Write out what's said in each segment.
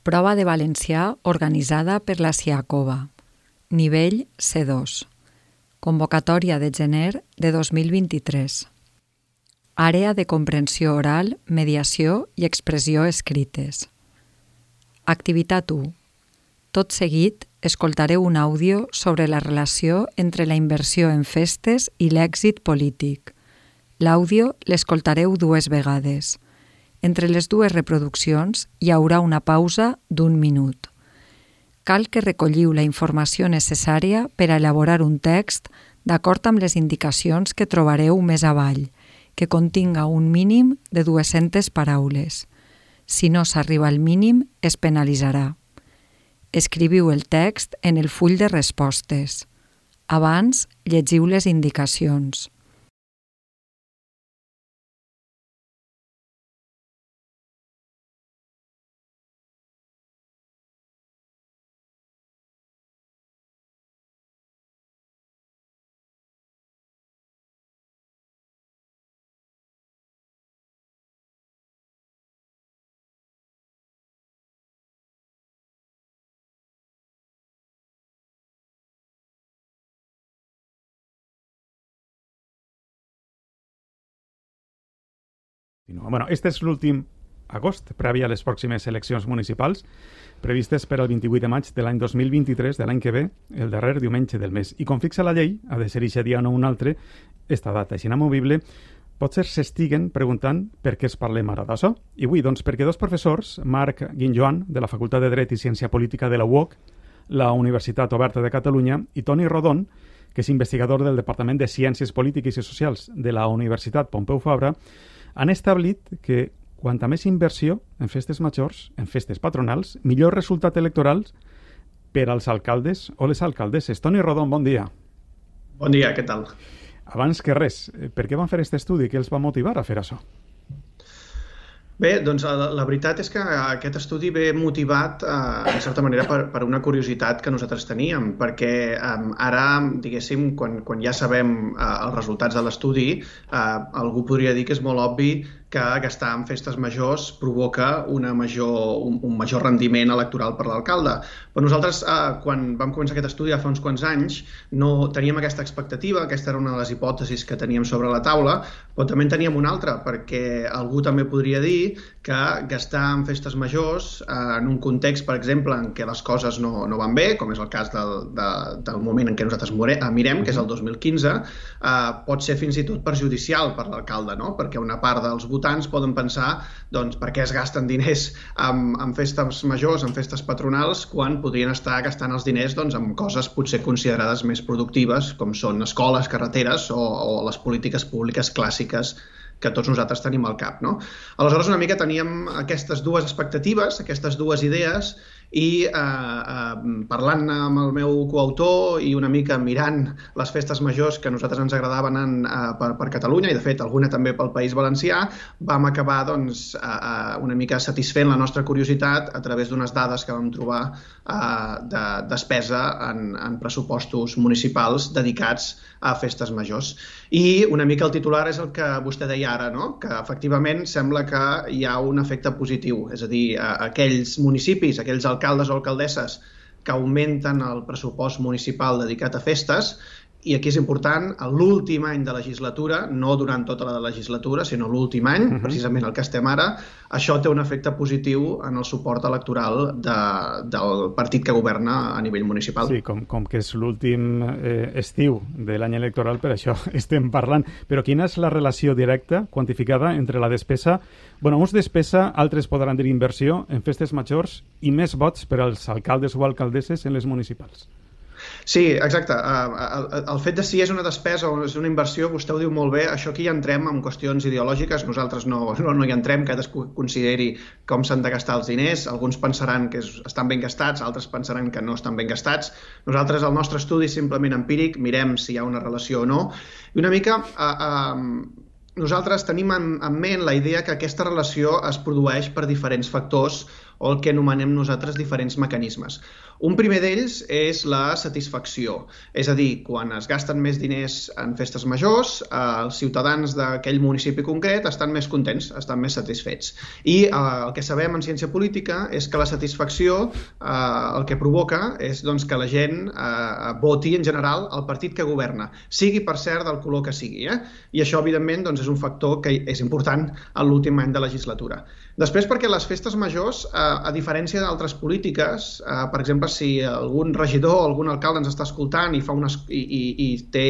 Prova de valencià organitzada per la Siacova. Nivell C2. Convocatòria de gener de 2023. Àrea de comprensió oral, mediació i expressió escrites. Activitat 1. Tot seguit, escoltareu un àudio sobre la relació entre la inversió en festes i l'èxit polític. L'àudio l'escoltareu 2 vegades. Entre les 2 reproduccions hi haurà una pausa d'1 minut. Cal que recolliu la informació necessària per a elaborar un text d'acord amb les indicacions que trobareu més avall, que continga un mínim de 200 paraules. Si no s'arriba al mínim, es penalitzarà. Escriviu el text en el full de respostes. Abans, llegiu les indicacions. Este és l'últim agost, previ a les pròximes eleccions municipals, previstes per al 28 de maig de l'any 2023, de l'any que ve, el darrer diumenge del mes. I com fixa la llei, ha de ser eixe dia o no un altre, esta data és inamovible, potser s'estiguen preguntant per què es parlem ara d'això. I avui, doncs, perquè 2 professors, Marc Guinjoan, de la Facultat de Dret i Ciència Política de la UOC, la Universitat Oberta de Catalunya, i Toni Rodon, que és investigador del Departament de Ciències Polítiques i Socials de la Universitat Pompeu Fabra, han establit que quanta més inversió en festes majors, en festes patronals, millor resultat electoral per als alcaldes o les alcaldesses. Toni Rodon, bon dia. Bon dia, què tal? Abans que res, per què van fer aquest estudi? Què els va motivar a fer això? Bé, doncs la veritat és que aquest estudi ve motivat, en certa manera, per una curiositat que nosaltres teníem, perquè ara, diguéssim, quan ja sabem els resultats de l'estudi, algú podria dir que és molt obvi que gastar en festes majors provoca un major rendiment electoral per l'alcalde. Però nosaltres, quan vam començar aquest estudi fa uns quants anys, no teníem aquesta expectativa, aquesta era una de les hipòtesis que teníem sobre la taula, però també en teníem una altra, perquè algú també podria dir que gastar en festes majors en un context, per exemple, en què les coses no van bé, com és el cas del moment en què nosaltres mirem, que és el 2015, pot ser fins i tot perjudicial per l'alcalde, no? Perquè una part dels votants poden pensar per què es gasten diners en festes majors, en festes patronals, quan podrien estar gastant els diners en coses potser considerades més productives, com són escoles, carreteres o les polítiques públiques clàssiques que tots nosaltres tenim al cap, no? Aleshores, una mica teníem aquestes 2 expectatives, aquestes 2 idees, i parlant amb el meu coautor i una mica mirant les festes majors que a nosaltres ens agradaven per Catalunya, i de fet alguna també pel País Valencià, vam acabar una mica satisfent la nostra curiositat a través d'unes dades que vam trobar de despesa en pressupostos municipals dedicats a festes majors. I una mica el titular és el que vostè deia ara, no? Que efectivament sembla que hi ha un efecte positiu, és a dir, aquells municipis, aquells alcaldes o alcaldesses que augmenten el pressupost municipal dedicat a festes, i aquí és important, l'últim any de legislatura, no durant tota la legislatura, sinó l'últim any, precisament el que estem ara, això té un efecte positiu en el suport electoral del partit que governa a nivell municipal. Sí, com que és l'últim estiu de l'any electoral, per això estem parlant. Però quina és la relació directa, quantificada, entre la despesa, uns despesa, altres podran dir inversió, en festes majors i més vots per als alcaldes o alcaldesses en les municipals? Sí, exacte. El fet de si és una despesa o és una inversió, vostè ho diu molt bé, això aquí ja entrem en qüestions ideològiques, nosaltres no hi entrem, cadascú consideri com s'han de gastar els diners, alguns pensaran que estan ben gastats, altres pensaran que no estan ben gastats. Nosaltres, el nostre estudi és simplement empíric, mirem si hi ha una relació o no, i una mica nosaltres tenim en ment la idea que aquesta relació es produeix per diferents factors o el que anomenem nosaltres diferents mecanismes. Un primer d'ells és la satisfacció, és a dir, quan es gasten més diners en festes majors, els ciutadans d'aquell municipi concret estan més contents, estan més satisfets. I el que sabem en ciència política és que la satisfacció el que provoca és que la gent voti en general el partit que governa, sigui per cert del color que sigui. I això, evidentment, és un factor que és important en l'últim any de legislatura. Després, perquè les festes majors, a diferència d'altres polítiques, per exemple, si algun regidor o algun alcalde ens està escoltant i té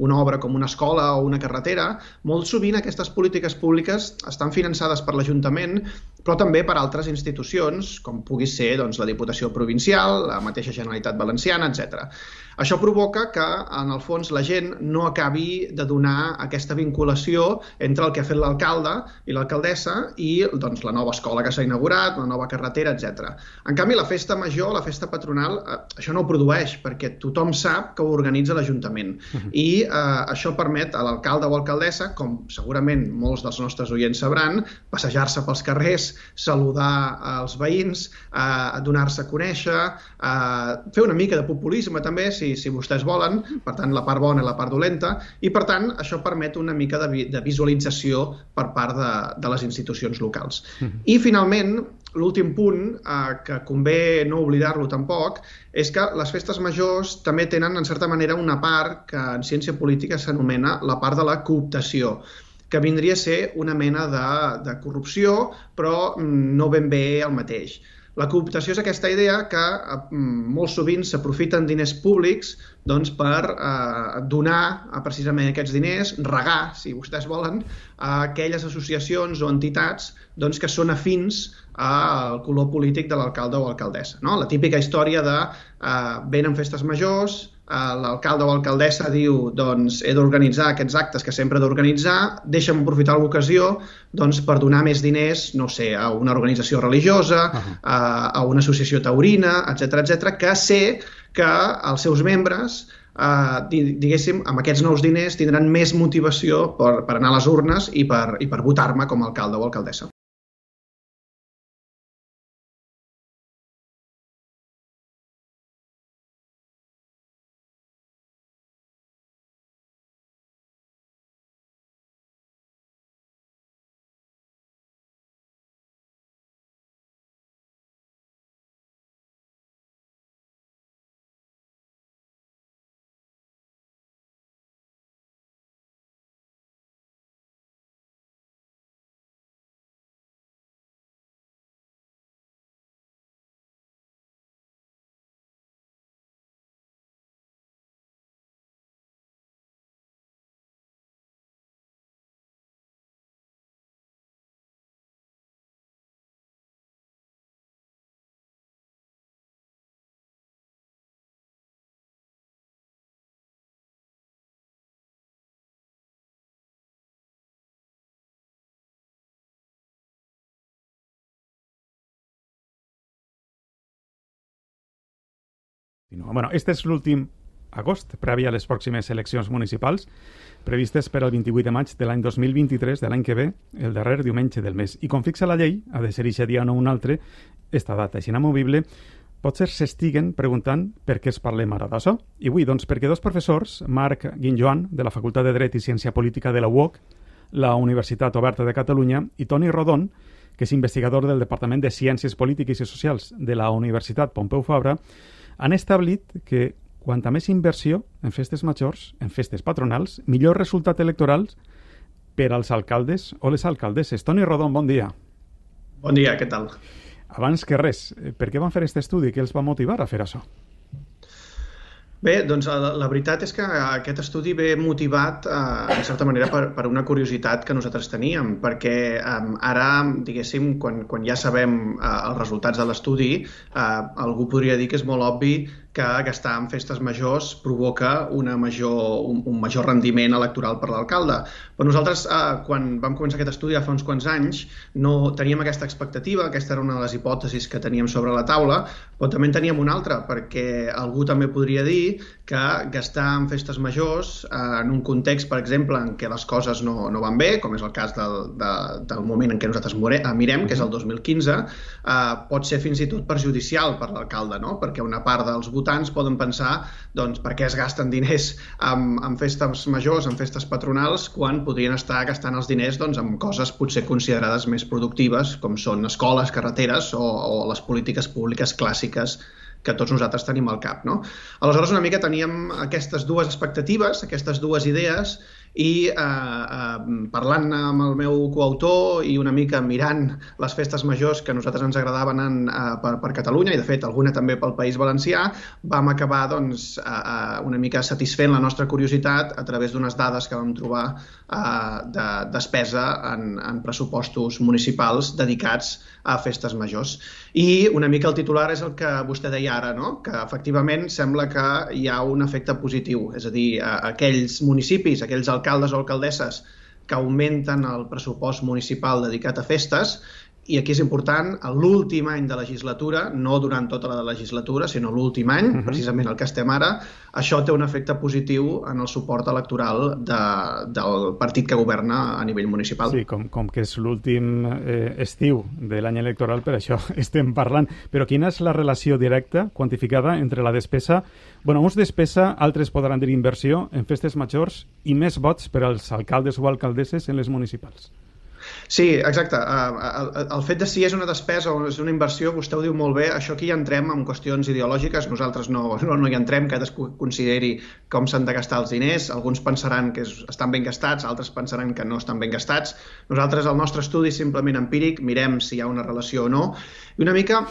una obra com una escola o una carretera, molt sovint aquestes polítiques públiques estan finançades per l'Ajuntament, però també per altres institucions, com pugui ser la Diputació Provincial, la mateixa Generalitat Valenciana, etc. Això provoca que, en el fons, la gent no acabi de donar aquesta vinculació entre el que ha fet l'alcalde i l'alcaldessa i la nova escola que s'ha inaugurat, la nova carretera, etc. En canvi, la festa major, la festa patronal, això no ho produeix, perquè tothom sap que ho organitza l'Ajuntament. I això permet a l'alcalde o alcaldessa, com segurament molts dels nostres oients sabran, passejar-se pels carrers, saludar els veïns, donar-se a conèixer, fer una mica de populisme també, si vostès volen, per tant, la part bona i la part dolenta, i per tant, això permet una mica de visualització per part de les institucions locals. I finalment, l'últim punt, que convé no oblidar-lo tampoc, és que les festes majors també tenen, en certa manera, una part que en ciència política s'anomena la part de la cooptació, que vindria a ser una mena de corrupció, però no ben bé el mateix. La cooptació és aquesta idea que molt sovint s'aprofiten diners públics per donar precisament aquests diners, regar, si vostès volen, a aquelles associacions o entitats que són afins al color polític de l'alcalde o alcaldessa. La típica història de venen festes majors, l'alcalde o alcaldessa diu he d'organitzar aquests actes que sempre he d'organitzar, deixa'm aprofitar l'ocasió per donar més diners, no sé, a una organització religiosa, a una associació taurina, etc., que sé que els seus membres, diguéssim, amb aquests nous diners tindran més motivació per anar a les urnes i per votar-me com a alcalde o alcaldessa. Este és l'últim agost, previ a les pròximes eleccions municipals, previstes per al 28 de maig de l'any 2023, de l'any que ve, el darrer diumenge del mes. I com fixa la llei, ha de ser eixe dia o no un altre, esta data és inamovible, potser s'estiguen preguntant per què es parlem ara d'això. I avui, perquè dos professors, Marc Guinjoan, de la Facultat de Dret i Ciència Política de la UOC, la Universitat Oberta de Catalunya, i Toni Rodon, que és investigador del Departament de Ciències Polítiques i Socials de la Universitat Pompeu Fabra, han establit que quanta més inversió en festes majors, en festes patronals, millor resultat electoral per als alcaldes o les alcaldesses. Toni Rodon, bon dia. Bon dia, què tal? Abans que res, per què van fer aquest estudi? Què els va motivar a fer això? Bé, la veritat és que aquest estudi ve motivat, en certa manera, per una curiositat que nosaltres teníem, perquè ara, diguéssim, quan ja sabem els resultats de l'estudi, algú podria dir que és molt obvi que gastar en festes majors provoca un major rendiment electoral per l'alcalde. Però nosaltres, quan vam començar aquest estudi fa uns quants anys, no teníem aquesta expectativa, aquesta era una de les hipòtesis que teníem sobre la taula, però també en teníem una altra, perquè algú també podria dir que gastar en festes majors en un context, per exemple, en què les coses no van bé, com és el cas del moment en què nosaltres mirem, que és el 2015, pot ser fins i tot perjudicial per l'alcalde, no? Perquè una part dels votants poden pensar doncs, per què es gasten diners en festes majors, en festes patronals, quan podrien estar gastant els diners doncs, en coses potser considerades més productives, com són escoles, carreteres o les polítiques públiques clàssiques que tots nosaltres tenim al cap, no? Aleshores, una mica teníem aquestes dues expectatives, aquestes dues idees, i parlant amb el meu coautor i una mica mirant les festes majors que a nosaltres ens agradaven per Catalunya, i de fet alguna també pel País Valencià, vam acabar doncs, una mica satisfent la nostra curiositat a través d'unes dades que vam trobar de despesa en pressupostos municipals dedicats a festes majors. I una mica el titular és el que vostè deia ara, no? Que efectivament sembla que hi ha un efecte positiu, és a dir, aquells municipis, aquells alcaldes o alcaldesses que augmenten el pressupost municipal dedicat a festes, i aquí és important, a l'últim any de legislatura, no durant tota la legislatura, sinó l'últim any, precisament el que estem ara, això té un efecte positiu en el suport electoral del partit que governa a nivell municipal. Sí, com que és l'últim estiu de l'any electoral, per això estem parlant. Però quina és la relació directa, quantificada, entre la despesa, uns despesa, altres podran dir inversió, en festes majors i més vots per als alcaldes o alcaldesses en les municipals? Sí, exacte. El fet de si és una despesa o és una inversió, vostè ho diu molt bé, això aquí ja entrem en qüestions ideològiques, nosaltres no hi entrem, cadascú consideri com s'han de gastar els diners, alguns pensaran que estan ben gastats, altres pensaran que no estan ben gastats. Nosaltres, el nostre estudi és simplement empíric, mirem si hi ha una relació o no, i una mica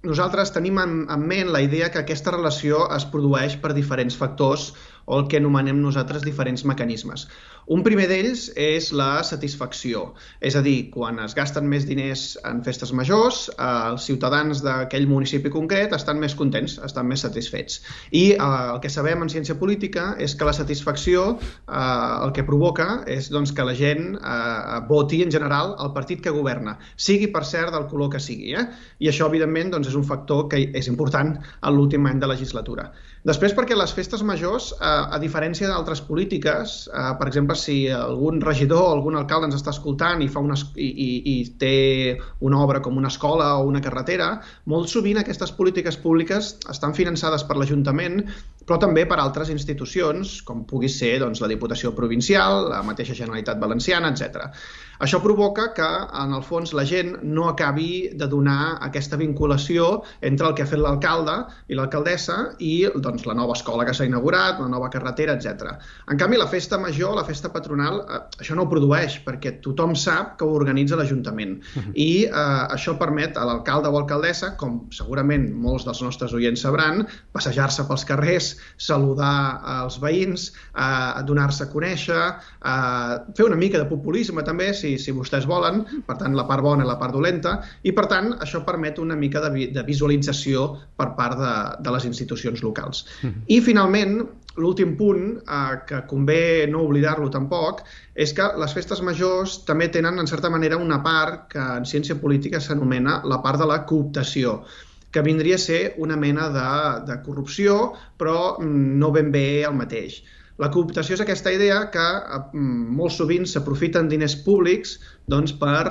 nosaltres tenim en ment la idea que aquesta relació es produeix per diferents factors o el que anomenem nosaltres diferents mecanismes. Un primer d'ells és la satisfacció, és a dir, quan es gasten més diners en festes majors, els ciutadans d'aquell municipi concret estan més contents, estan més satisfets. I el que sabem en ciència política és que la satisfacció el que provoca és doncs, que la gent voti en general el partit que governa, sigui per cert del color que sigui. I això, evidentment, doncs, és un factor que és important en l'últim any de legislatura. Després, perquè les festes majors, a diferència d'altres polítiques, per exemple, si algun regidor o algun alcalde ens està escoltant i té una obra com una escola o una carretera, molt sovint aquestes polítiques públiques estan finançades per l'Ajuntament, però també per altres institucions, com pugui ser doncs, la Diputació Provincial, la mateixa Generalitat Valenciana, etc. Això provoca que, en el fons, la gent no acabi de donar aquesta vinculació entre el que ha fet l'alcalde i l'alcaldessa i doncs, la nova escola que s'ha inaugurat, la nova carretera, etc. En canvi, la festa major, la festa patronal, això no ho produeix, perquè tothom sap que ho organitza l'Ajuntament. I això permet a l'alcalde o alcaldessa, com segurament molts dels nostres oients sabran, passejar-se pels carrers, saludar als veïns, donar-se a conèixer, fer una mica de populisme també, si vostès volen, per tant la part bona i la part dolenta, i per tant això permet una mica de visualització per part de les institucions locals. I finalment, l'últim punt, que convé no oblidar-lo tampoc, és que les festes majors també tenen en certa manera una part que en ciència política s'anomena la part de la cooptació, que vindria a ser una mena de corrupció, però no ben bé el mateix. La cooptació és aquesta idea que molt sovint s'aprofiten diners públics doncs, per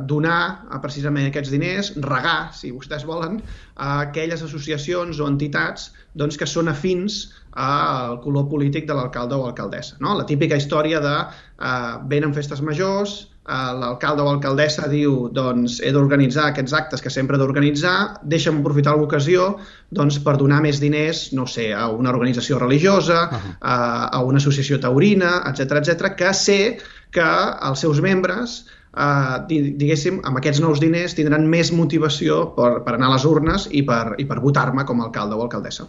donar precisament aquests diners, regar, si vostès volen, a aquelles associacions o entitats doncs, que són afins al color polític de l'alcalde o alcaldessa. No? La típica història de venen festes majors, l'alcalde o alcaldessa diu doncs, he d'organitzar aquests actes que sempre he d'organitzar, deixa'm aprofitar l'ocasió doncs, per donar més diners, no sé, a una organització religiosa, a una associació taurina, etc, que sé que els seus membres, diguéssim, amb aquests nous diners tindran més motivació per anar a les urnes i per votar-me com a alcalde o alcaldessa.